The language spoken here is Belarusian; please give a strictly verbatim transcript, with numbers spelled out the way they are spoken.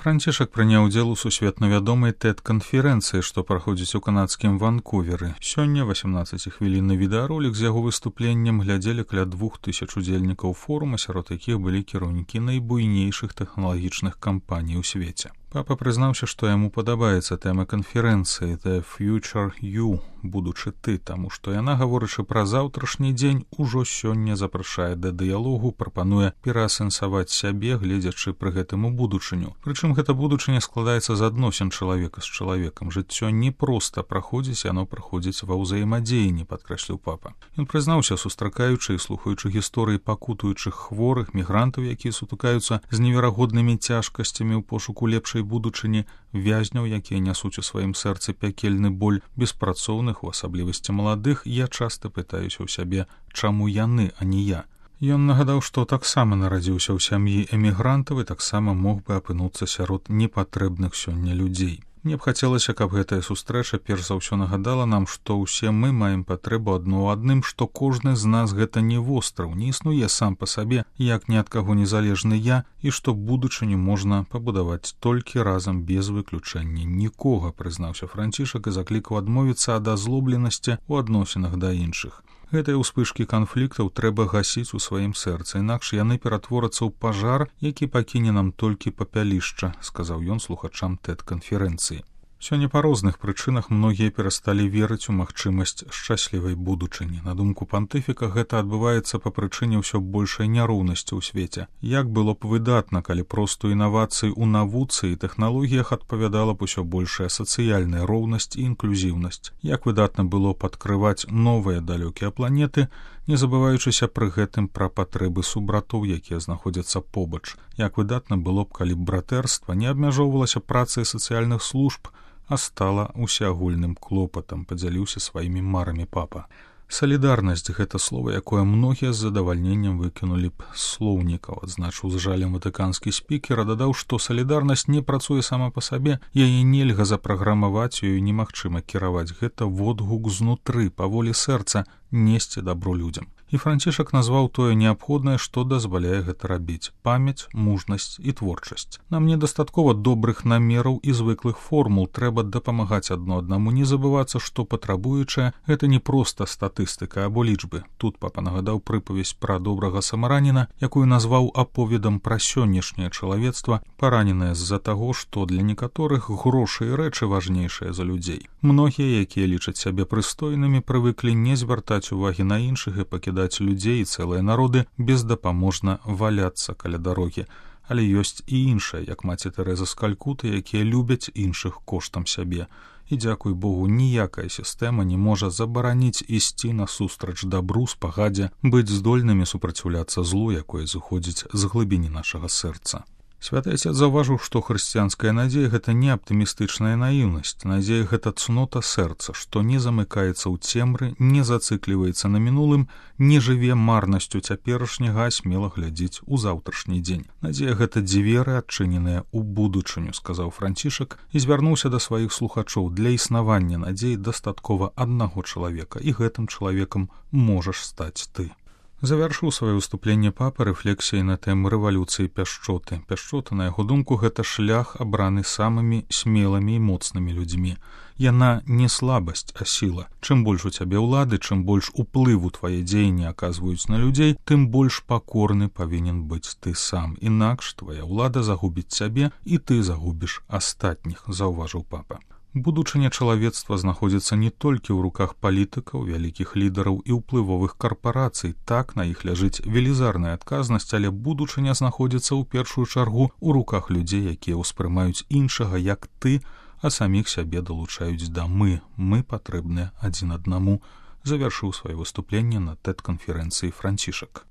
Францішак прыняў удзел у сусветна вядомай тэд-канферэнцыі, што праходзіць у канадскім Ванкуверы. Сёння васемнаццацігвілінны відэаролік з яго выступленнем глядзелі каля двух тысяч удзельнікаў форума, сярод якіх былі кіраўнікі найбуйнейшых тэхналагічных кампаній у свеце. Папа прызнаўся, што яму падабаецца тэма канферэнцыі «The Future You» — «Будучы ты», таму што яна, гаворачы пра заўтрашні дзень, ужо сёння запрашае да дыялогу, прапануе пераасэнсаваць сябе, гледзячы пры гэтым у будучыню. Прычым гэта будучыня складаецца з адносін чалавека з чалавекам. Жыццё не проста праходзіць, яно праходзіць ва ўзаемадзеянні, падкрэсліў папа. Ён прызнаўся, сустракаючы і слухаючы гісторыі пакутуючых хворых, мігрантаў, якія сутыкаюцца з неверагоднымі цяжкасцямі ў пошуку лепшай будучыні, вязняў, якія нясуць у сваім сэрцы пякельны боль, беспрацоўных, у асаблівасці маладых, я часта пытаюся ў сябе, чаму яны, а не я. Ён нагадаў, што таксама нарадзіўся ў сям'і эмігрантаў і таксама мог бы апынуцца сярод непатрэбных сёння людзей. Мне б хацелася, каб гэтая сустрэча перш за ўсё нагадала нам, што ўсе мы маем патрэбу адно ў адным, што кожны з нас гэта не востраў, не існуе сам па сабе, як ні ад каго незалежны я, і што будучыню можна пабудаваць толькі разам без выключэння нікога, прызнаўся Францішак і заклікаў адмовіцца ад азлобленасці ў адносінах да іншых. Гэтыя ўспышкі канфліктаў трэба гасіць у сваім сэрцы, інакш яны ператворацца ў пажар, які пакіне нам толькі папялішча, сказаў ён слухачам тэд-канферэнцыі. Сёння па розных прычынах многія перасталі верыць у магчымасць шчаслівай будучыні. На думку пантыфіка, гэта адбываецца па прычыне ўсё большай няроўнасці ў свеце. Як было б выдатна, калі просту інавацыі ў навуцы і тэхналогіях адпавядала б усё большая сацыяльная роўнасць і інклюзіўнасць. Як выдатна было б адкрываць новыя далёкія планеты, не забываючыся пры гэтым пра патрэбы субратоў, якія знаходзяцца побач. Як выдатна было б, калі б братэрства не абмяжоўвалася працай сацыяльных служб, а стала усеагульным клопатам, падзяліўся сваімі марамі папа. Салідарнасць — гэта слова, якое многія з задавальненнем выкінулі б з слоўнікаў, адзначыў з жалем ватыканскі спікер, а дадаў, што салідарнасць не працуе сама па сабе, яе нельга запраграмаваць, ёю немагчыма кіраваць. Гэта водгук знутры, па волі сэрца, несці дабро людзям. І Францішак назваў тое неабходнае, што дазваляе гэта рабіць — памяць, мужнасць і творчасць. Нам недастаткова добрых намераў і звыклых формул, трэба дапамагаць адно аднаму, не забывацца, што патрабуючае — гэта не проста статыстыка або лічбы. Тут папа нагадаў прыпавесць пра добрага самараніна, якую назваў аповедам пра сённяшняе чалавецтва, параненае з-за таго, што для некаторых грошы і рэчы важнейшыя за людзей. Многія, якія лічаць сябе прыстойнымі, прывыклі не звяртаць увагі на іншых і пакідаць людзей і цэлыя народы бездапаможна валяцца каля дарогі. Але ёсць і іншыя, як маці Тэрэза з Калькуты, якія любяць іншых коштам сябе. І, дзякуй Богу, ніякая сістэма не можа забараніць ісці насустрач дабру, спагадзе, быць здольнымі супраціўляцца злу, якое зыходзіць з глыбіні нашага сэрца. Святы Отец заўважыў, што хрысціянская надзея — гэта не аптымістычная наіўнасць. Надзея — гэта цнота сэрца, што не замыкаецца ў цемры, не зацыкліваецца на мінулым, не жыве марнасцю цяперашняга, а смела глядзіць у заўтрашні дзень. Надзея — гэта дзверы, адчыненыя ў будучыню, сказаў Францішак і звярнуўся да сваіх слухачоў. Для існавання надзеі дастаткова аднаго чалавека, і гэтым чалавекам можаш стаць ты. Завяршыў сваё выступленне папа рэфлексіяй на тэму рэвалюцыі пяшчоты. Пяшчота, на яго думку, гэта шлях, абраны самымі смелымі і моцнымі людзьмі. Яна не слабасць, а сіла. Чым больш у цябе ўлады, чым больш уплыву твае дзеянні аказваюць на людзей, тым больш пакорны павінен быць ты сам. Інакш твая ўлада загубіць цябе, і ты загубіш астатніх, заўважыў папа. Будучыня чалавецтва знаходзіцца не толькі ў руках палітыкаў, вялікіх лідараў і ўплывовых карпарацый. Так, на іх ляжыць велізарная адказнасць, але будучыня знаходзіцца ў першую чаргу ў руках людзей, якія ўспрымаюць іншага як ты, а саміх сябе далучаюць да мы. Мы патрэбныя адзін аднаму, завяршыў сваё выступленне на тэд-канферэнцыі Францішак.